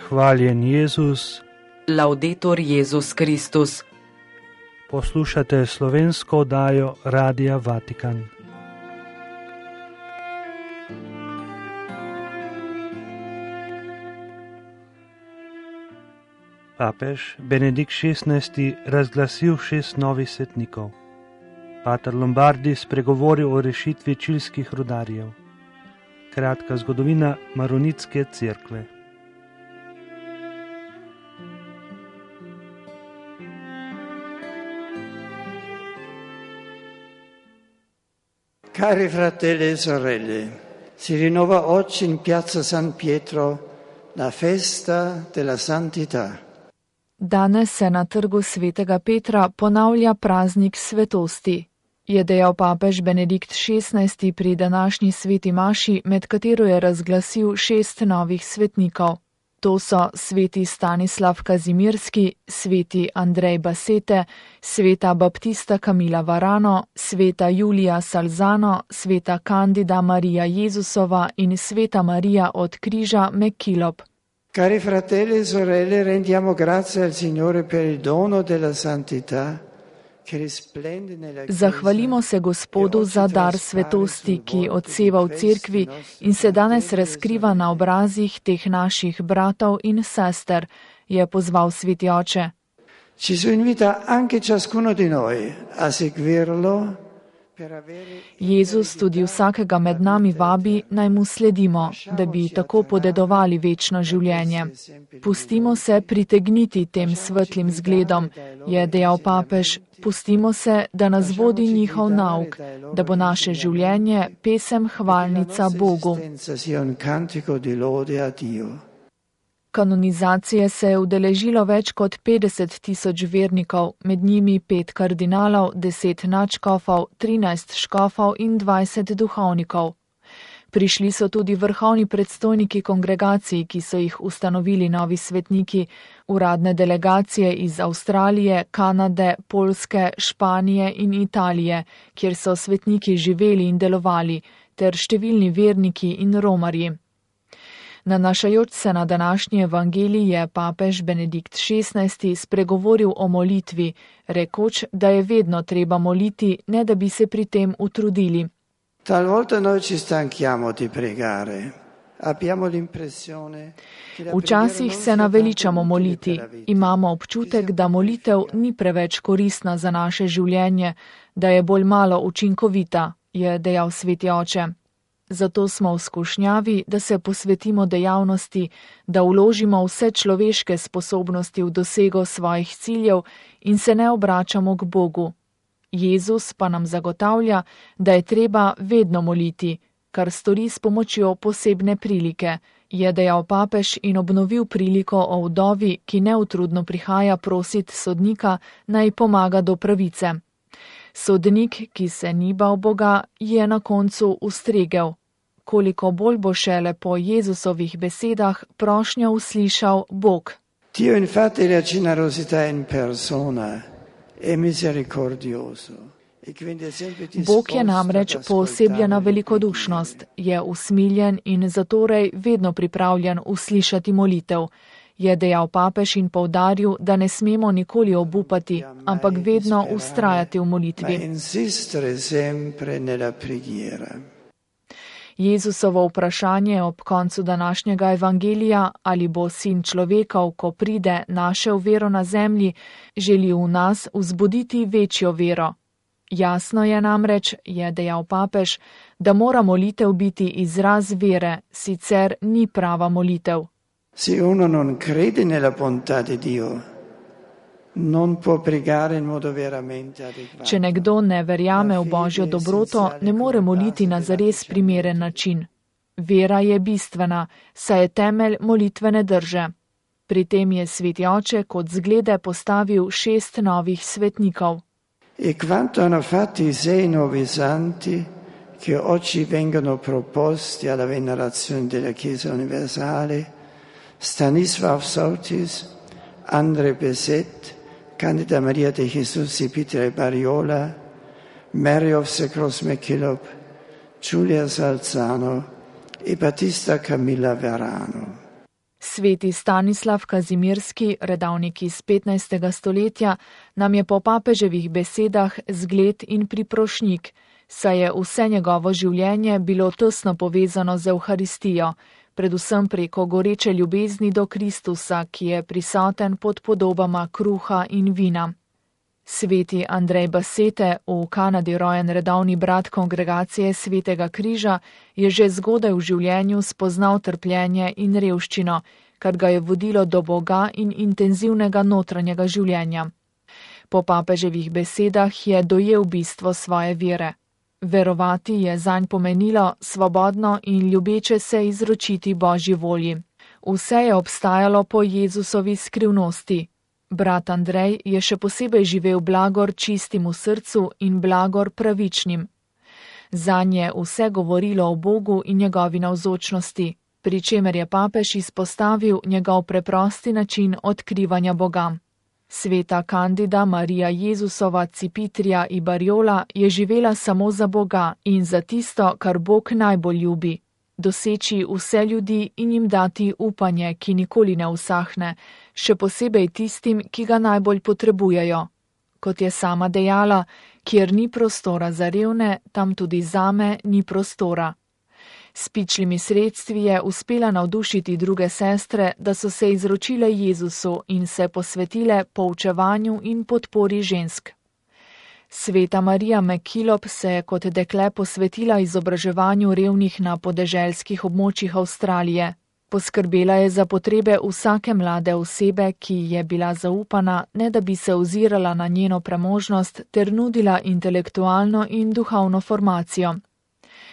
Hvaljen Jezus. Laudetur Jezus Kristus. Poslušate slovensko oddajo Radia Vatikan. Papež Benedikt XVI. Razglasil 6 novih svetnikov. Pater Lombardi spregovoril o rešitvi čilskih rudarjev. Kratka zgodovina Maronitske cerkve. Cari fratelli e sorelle, si rinnova oggi in piazza San Pietro la festa della santità. Danes se na trgu svetega Petra ponavlja praznik svetosti, je dejal papež Benedikt XVI. Pri današnji sveti maši, med katero je razglasil 6 novih svetnikov. To so sveti Stanislav Kazimirski, sveti Andrej Basete, sveta Baptista Camila Varano, sveta Julija Salzano, sveta Candida Marija Jezusova in sveta Marija od križa Mekilop. Cari fratelli e sorelle, rendiamo grazie al Signore per il dono della santità. Zahvalimo se Gospodu za dar svetosti, ki odseva v cerkvi in se danes razkriva na obrazih teh naših bratov in sester, je pozval sveti oče. Ci si invita anche ciascuno di noi a seguirlo. Jezus tudi vsakega med nami vabi, naj mu sledimo, da bi tako podedovali večno življenje. Pustimo se pritegniti tem svetlim zgledom, je dejal papež, pustimo se, da nas vodi njihov nauk, da bo naše življenje pesem hvalnica Bogu. Kanonizacije se je udeležilo več kot 50 000 vernikov, med njimi 5 kardinalov, 10 nadškofov, 13 škofov in 20 duhovnikov. Prišli so tudi vrhovni predstojniki kongregacij, ki so jih ustanovili novi svetniki, uradne delegacije iz Avstralije, Kanade, Poljske, Španije in Italije, kjer so svetniki živeli in delovali, ter številni verniki in romarji. Nanašajoč se na današnji evangelij je papež Benedikt XVI. Spregovoril o molitvi, rekoč, da je vedno treba moliti, ne da bi se pri tem utrudili. Včasih se naveličamo moliti, imamo občutek, da molitev ni preveč koristna za naše življenje, da je bolj malo učinkovita, je dejal sveti oče. Zato smo v skušnjavi, da se posvetimo dejavnosti, da vložimo vse človeške sposobnosti v dosego svojih ciljev in se ne obračamo k Bogu. Jezus pa nam zagotavlja, da je treba vedno moliti, kar stori s pomočjo posebne prilike, je dejal papež in obnovil priliko o vdovi, ki neutrudno prihaja prosit sodnika, naj pomaga do pravice. Sodnik, ki se ni bal Boga, je na koncu ustregel. Koliko bolj bo šele po Jezusovih besedah prošnjo uslišal Bog. Dio infatti la generosità in persona è misericordioso. Bog je namreč poosebljena velikodušnost, je usmiljen in zatorej vedno pripravljen uslišati molitev. Je dejal papež in poudaril, da ne smemo nikoli obupati, ampak vedno vztrajati v molitvi. Jezusovo vprašanje ob koncu današnjega evangelija, ali bo sin človekov, ko pride, našel vero na zemlji, želi v nas vzbuditi večjo vero. Jasno je namreč, je dejal papež, da mora molitev biti izraz vere, sicer ni prava molitev. Se uno non crede nella bontà di Dio, non può pregare in modo veramente adeguato. Če nekdo ne verjame v Božjo dobroto, ne more moliti na zares primeren način. Vera je bistvena, saj je temelj molitvene drže. Pri tem je sveti oče kot zglede postavil 6 novih svetnikov. E quanto hanno fatto i 6 nuovi santi che oggi vengono proposti alla venerazione della Chiesa universale, Stanislav Sautis, Andrej Beset, Candida Maria de Jesus y Peter Bariola, Mary of the Cross McKillop, Giulia Salzano e Battista Camilla Verano. Sveti Stanislav Kazimirski, redavnik iz 15. stoletja, nam je po papeževih besedah zgled in priprošnjik, saj je vse njegovo življenje bilo tesno povezano z Evharistijo, predvsem preko goreče ljubezni do Kristusa, ki je prisoten pod podobama kruha in vina. Sveti Andrej Basete, v Kanadi rojen redovni brat kongregacije Svetega križa, je že zgodaj v življenju spoznal trpljenje in revščino, kar ga je vodilo do Boga in intenzivnega notranjega življenja. Po papeževih besedah je dojel bistvo svoje vere. Verovati je zanj pomenilo svobodno in ljubeče se izročiti Božji volji. Vse je obstajalo po Jezusovi skrivnosti. Brat Andrej je še posebej živel blagor čistim v srcu in blagor pravičnim. Zanj je vse govorilo o Bogu in njegovi navzočnosti, pri čemer je papež izpostavil njegov preprosti način odkrivanja Boga. Sveta Kandida Marija Jezusova Cipitrija i Barjola je živela samo za Boga in za tisto, kar Bog najbolj ljubi. Doseči vse ljudi in jim dati upanje, ki nikoli ne usahne, še posebej tistim, ki ga najbolj potrebujejo. Kot je sama dejala, kjer ni prostora za revne, tam tudi zame ni prostora. S pičlimi sredstvi je uspela navdušiti druge sestre, da so se izročile Jezusu in se posvetile poučevanju in podpori žensk. Sveta Marija McKillop se je kot dekle posvetila izobraževanju revnih na podeželskih območjih Avstralije. Poskrbela je za potrebe vsake mlade osebe, ki je bila zaupana, ne da bi se ozirala na njeno premožnost ter nudila intelektualno in duhovno formacijo.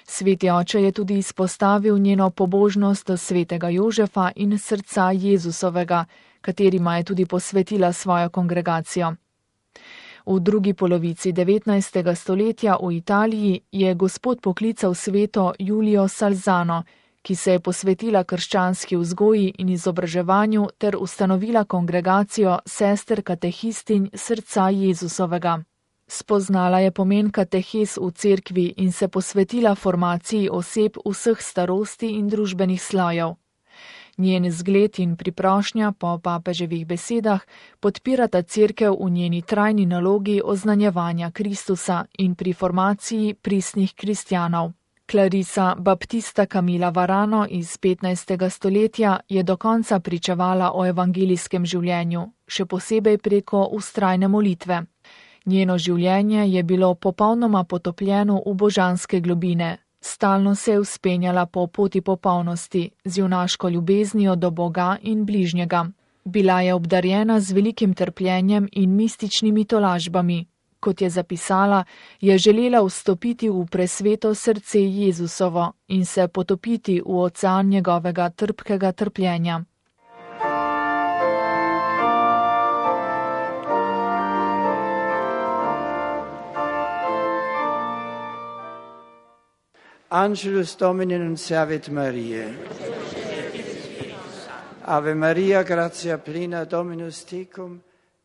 Sveti oče je tudi izpostavil njeno pobožnost do svetega Jožefa in srca Jezusovega, katerima je tudi posvetila svojo kongregacijo. V drugi polovici 19. stoletja v Italiji je Gospod poklical sveto Julio Salzano, ki se je posvetila krščanski vzgoji in izobraževanju ter ustanovila kongregacijo sester katehistinj srca Jezusovega. Spoznala je pomen katehes v cerkvi in se posvetila formaciji oseb vseh starosti in družbenih slojev. Njen zgled in priprošnja po papeževih besedah podpirata cerkev v njeni trajni nalogi oznanjevanja Kristusa in pri formaciji pristnih kristjanov. Clarisa Baptista Camila Varano iz 15. stoletja je do konca pričevala o evangelijskem življenju, še posebej preko vztrajne molitve. Njeno življenje je bilo popolnoma potopljeno v božanske globine. Stalno se je vzpenjala po poti popolnosti, z junaško ljubeznijo do Boga in bližnjega. Bila je obdarjena z velikim trpljenjem in mističnimi tolažbami. Kot je zapisala, je želela vstopiti v presveto srce Jezusovo in se potopiti v ocean njegovega trpkega trpljenja. Angelus Domini nunciavit Mariae. Ave Maria, gratia plena, Dominus tecum.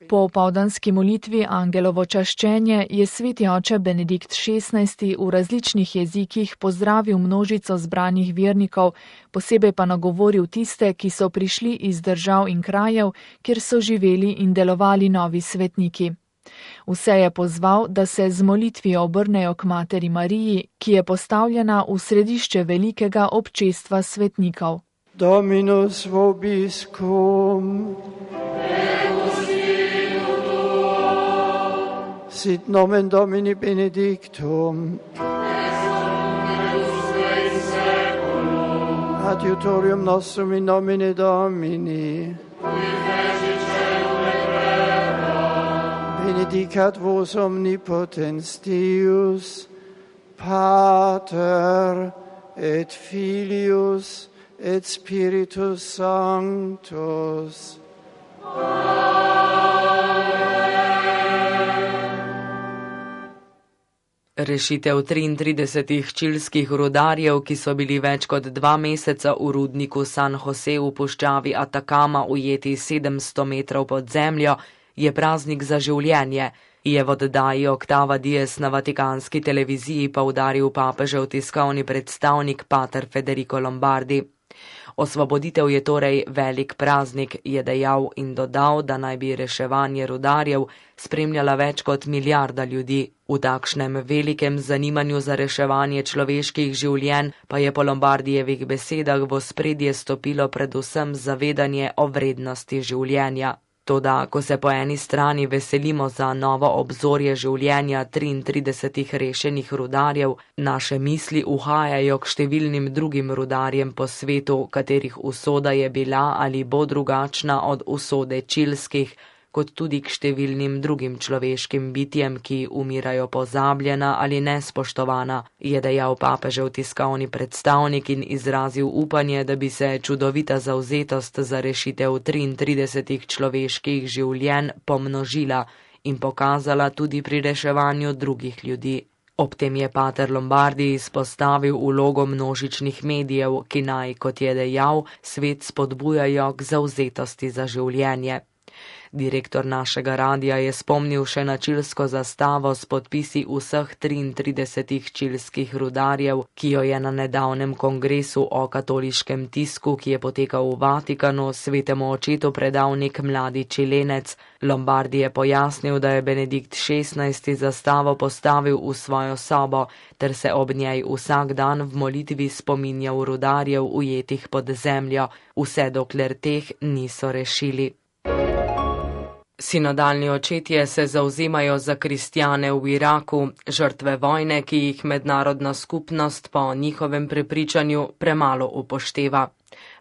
Po opoldanski molitvi Angelovo čaščenje je sveti oče Benedikt XVI v različnih jezikih pozdravil množico zbranih vernikov, posebej pa nagovoril tiste, ki so prišli iz držav in krajev, kjer so živeli in delovali novi svetniki. Vse je pozval, da se z molitvijo obrnejo k Materi Mariji, ki je postavljena v središče velikega občestva svetnikov. Dominus vobiscum. Sit nomen Domini benedictum. Adiutorium nostrum in nomine Domini. Benedicat vos omnipotens Deus, Pater et Filius et Spiritus Sanctus. Rešitev 33 čilskih rudarjev, ki so bili več kot 2 meseca v rudniku San Jose v puščavi Atacama ujeti 700 metrov pod zemljo, je praznik za življenje, je v oddaji Octava Dies na vatikanski televiziji poudaril papežev tiskovni predstavnik pater Federico Lombardi. Osvoboditev je torej velik praznik, je dejal in dodal, da naj bi reševanje rudarjev spremljala več kot milijarda ljudi. V takšnem velikem zanimanju za reševanje človeških življenj pa je po Lombardijevih besedah v ospredje stopilo predvsem zavedanje o vrednosti življenja. Toda, ko se po eni strani veselimo za novo obzorje življenja 33 rešenih rudarjev, naše misli uhajajo k številnim drugim rudarjem po svetu, katerih usoda je bila ali bo drugačna od usode čilskih, kot tudi k številnim drugim človeškim bitjem, ki umirajo pozabljena ali nespoštovana, je dejal papežev tiskovni predstavnik in izrazil upanje, da bi se čudovita zavzetost za rešitev 33 človeških življenj pomnožila in pokazala tudi pri reševanju drugih ljudi. Ob tem je pater Lombardi izpostavil vlogo množičnih medijev, ki naj, kot je dejal, svet spodbujajo k zavzetosti za življenje. Direktor našega radia je spomnil še na čilsko zastavo s podpisi vseh 33 čilskih rudarjev, ki jo je na nedavnem kongresu o katoliškem tisku, ki je potekal v Vatikanu, svetemu očetu predal nek mladi Čilenec. Lombardi je pojasnil, da je Benedikt XVI zastavo postavil v svojo sobo, ter se ob njej vsak dan v molitvi spominjal rudarjev ujetih pod zemljo, vse dokler teh niso rešili. Sinodalni očetje se zavzemajo za kristjane v Iraku, žrtve vojne, ki jih mednarodna skupnost po njihovem prepričanju premalo upošteva.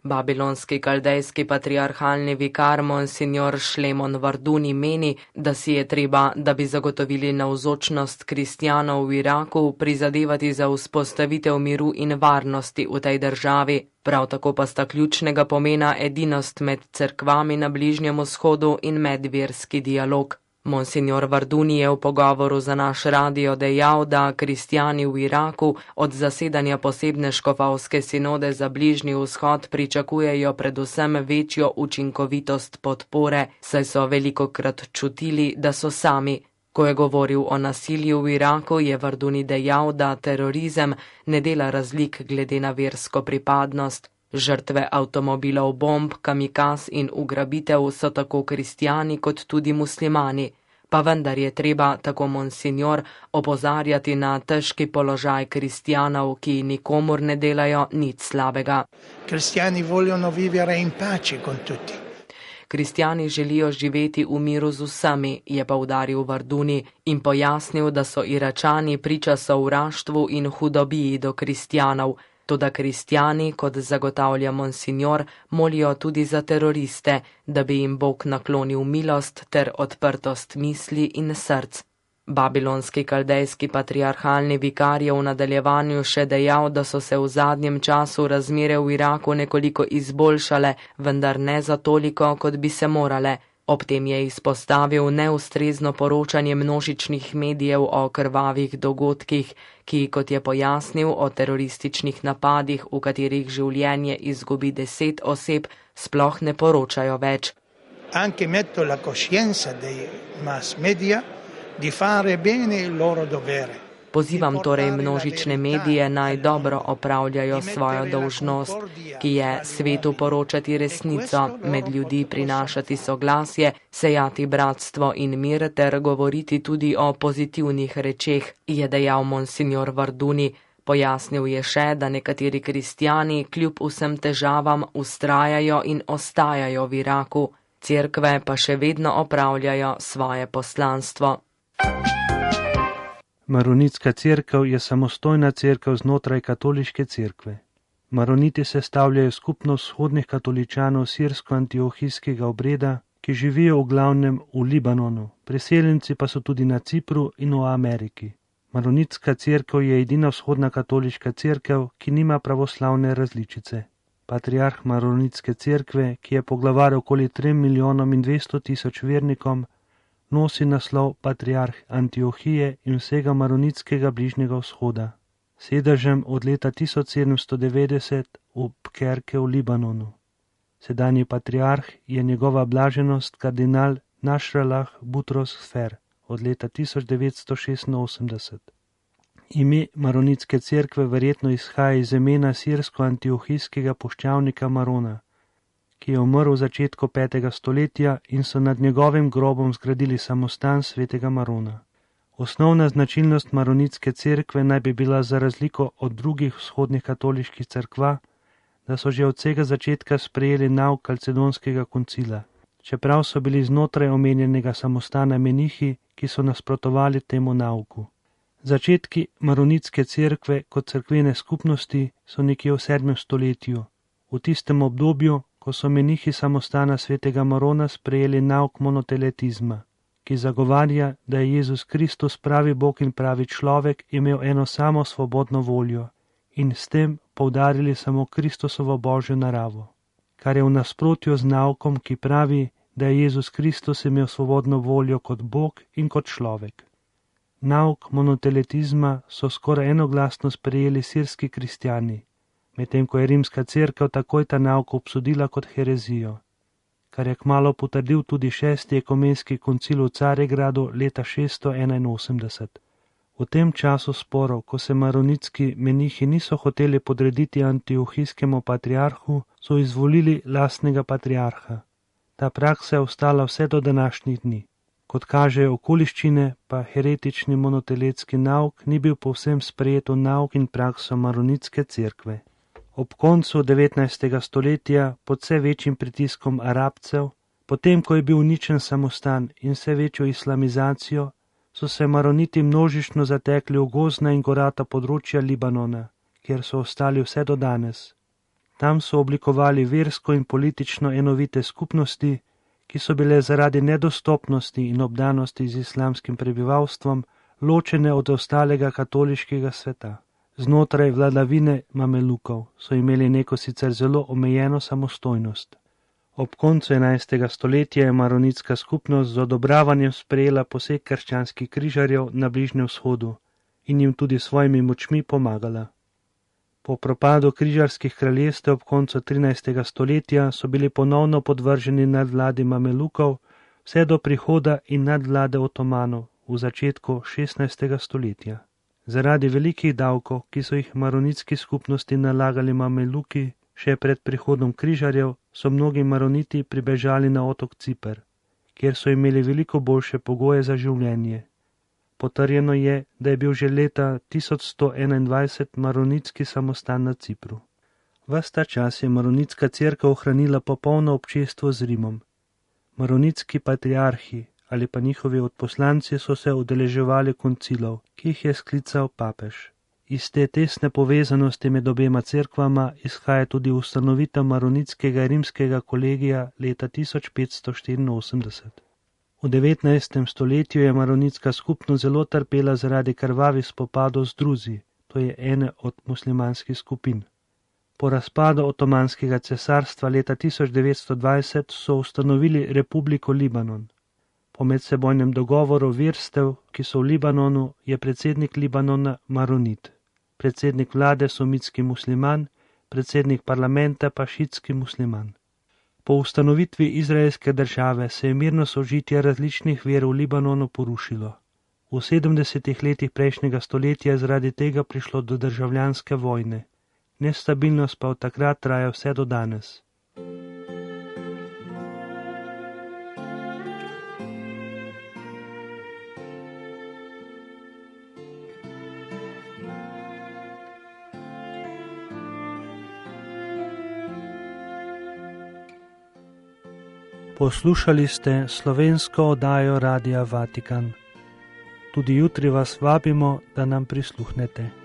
Babilonski kaldejski patriarhalni vikar Monsignor Šlemon Varduni meni, da si je treba, da bi zagotovili navzočnost kristjanov v Iraku, prizadevati za vzpostavitev miru in varnosti v tej državi. Prav tako pa sta ključnega pomena edinost med cerkvami na Bližnjem vzhodu in medverski dialog. Monsignor Varduni je v pogovoru za naš radio dejal, da kristjani v Iraku od zasedanja posebne škofovske sinode za Bližnji vzhod pričakujejo predvsem večjo učinkovitost podpore, saj so velikokrat čutili, da so sami. Ko je govoril o nasilju v Iraku, je Varduni dejal, da terorizem ne dela razlik glede na versko pripadnost. Žrtve avtomobilov, bomb, kamikaz in ugrabitev so tako kristjani kot tudi muslimani. Pa vendar je treba, tako monsignor, opozarjati na težki položaj kristjanov, ki nikomur ne delajo nič slabega. Kristjani vogliono vivere in pace con tutti. Kristjani želijo živeti v miru z vsemi, je poudaril Varduni in pojasnil, da so Iračani priča sovraštvu in hudobiji do kristjanov. Toda kristjani, kot zagotavlja monsignor, molijo tudi za teroriste, da bi jim Bog naklonil milost ter odprtost misli in src. Babilonski kaldejski patriarhalni vikar je v nadaljevanju še dejal, da so se v zadnjem času razmere v Iraku nekoliko izboljšale, vendar ne za toliko, kot bi se morale. Ob tem je izpostavil neustrezno poročanje množičnih medijev o krvavih dogodkih, ki, kot je pojasnil, o terorističnih napadih, v katerih življenje izgubi 10 oseb, sploh ne poročajo več. Anche metto la coscienza dei mass media di fare bene il loro dovere. Pozivam torej množične medije naj dobro opravljajo svojo dolžnost, ki je svetu poročati resnico, med ljudi prinašati soglasje, sejati bratstvo in mir ter govoriti tudi o pozitivnih rečeh, je dejal monsignor Varduni. Pojasnil je še, da nekateri kristjani kljub vsem težavam vztrajajo in ostajajo v Iraku, cerkve pa še vedno opravljajo svoje poslanstvo. Maronitska cerkev je samostojna cerkev znotraj katoliške cerkve. Maroniti sestavljajo skupnost vzhodnih katoličanov sirsko-antiohijskega obreda, ki živijo v glavnem v Libanonu, priseljenci pa so tudi na Cipru in v Ameriki. Maronitska cerkev je edina vzhodna katoliška cerkev, ki nima pravoslavne različice. Patriarh Maronitske cerkve, ki je poglavar okoli 3.200.000 vernikom, nosi naslov patriarh Antiohije in vsega maronitskega Bližnjega vzhoda, sedežem od leta 1790 v Pkerke v Libanonu. Sedanji patriarh je njegova blaženost kardinal Nasrallah Butros Sfer od leta 1986. Ime Maronitske cerkve verjetno izhaja iz imena sirsko-antiohijskega puščavnika Marona, ki je umrl v začetku 5. stoletja in so nad njegovim grobom zgradili samostan svetega Marona. Osnovna značilnost Maronitske cerkve naj bi bila za razliko od drugih vzhodnih katoliških cerkva, da so že od vsega začetka sprejeli nauk Kalcedonskega koncila, čeprav so bili znotraj omenjenega samostana menihi, ki so nasprotovali temu nauku. Začetki Maronitske cerkve kot cerkvene skupnosti so nekje v 7. stoletju, v tistem obdobju, ko so menihi samostana svetega Marona sprejeli nauk monoteletizma, ki zagovarja, da je Jezus Kristus pravi Bog in pravi človek imel eno samo svobodno voljo in s tem poudarili samo Kristusovo božjo naravo, kar je v nasprotju z naukom, ki pravi, da je Jezus Kristus imel svobodno voljo kot Bog in kot človek. Nauk monoteletizma so skoraj enoglasno sprejeli sirski kristjani, medtem ko je rimska cerkev takoj ta nauk obsodila kot herezijo, kar je kmalu potrdil tudi 6. ekumenski koncil v Carigradu leta 681. V tem času sporov, ko se maronitski menihi niso hoteli podrediti antiohijskemu patriarhu, so izvolili lastnega patriarha. Ta praksa je ostala vse do današnjih dni. Kot kažejo okoliščine, pa heretični monoteletski nauk ni bil povsem sprejet v nauk in prakso Maronitske cerkve. Ob koncu 19. stoletja, pod vse večjim pritiskom Arabcev, potem ko je bil uničen samostan in vse večjo islamizacijo, so se Maroniti množično zatekli v gozdna in gorata področja Libanona, kjer so ostali vse do danes. Tam so oblikovali versko in politično enovite skupnosti, ki so bile zaradi nedostopnosti in obdanosti z islamskim prebivalstvom ločene od ostalega katoliškega sveta. Znotraj vladavine Mamelukov so imeli neko sicer zelo omejeno samostojnost. Ob koncu 11. stoletja je maronitska skupnost z odobravanjem sprejela poseg krščanskih križarjev na Bližnjem vzhodu in jim tudi svojimi močmi pomagala. Po propadu križarskih kraljestev ob koncu 13. stoletja so bili ponovno podvrženi nadvladi Mamelukov vse do prihoda in nadvlade Otomanov v začetku 16. stoletja. Zaradi velikih davkov, ki so jih maronitski skupnosti nalagali Mameluki, še pred prihodom križarjev, so mnogi maroniti pribežali na otok Ciper, kjer so imeli veliko boljše pogoje za življenje. Potrjeno je, da je bil že leta 1121 maronitski samostan na Cipru. Ves ta čas je maronitska cerkev ohranila popolno občestvo z Rimom. Maronitski patriarhi ali pa njihovi odposlanci so se udeleževali koncilov, ki jih je sklical papež. Iz te tesne povezanosti med obema cerkvama izhaja tudi ustanovitev maronitskega rimskega kolegija leta 1584. V 19. stoletju je maronitska skupnost zelo trpela zaradi krvavih spopadov z druzi, to je ene od muslimanskih skupin. Po razpadu Otomanskega cesarstva leta 1920 so ustanovili Republiko Libanon. Po medsebojnem dogovoru verstev, ki so v Libanonu, je predsednik Libanona maronit, predsednik vlade sunnitski musliman, predsednik parlamenta pa šiitski musliman. Po ustanovitvi izraelske države se je mirno sožitje različnih ver v Libanonu porušilo. V 70. letih prejšnjega stoletja je zaradi tega prišlo do državljanske vojne. Nestabilnost pa od takrat traja vse do danes. Poslušali ste slovensko oddajo Radia Vatikan. Tudi jutri vas vabimo, da nam prisluhnete.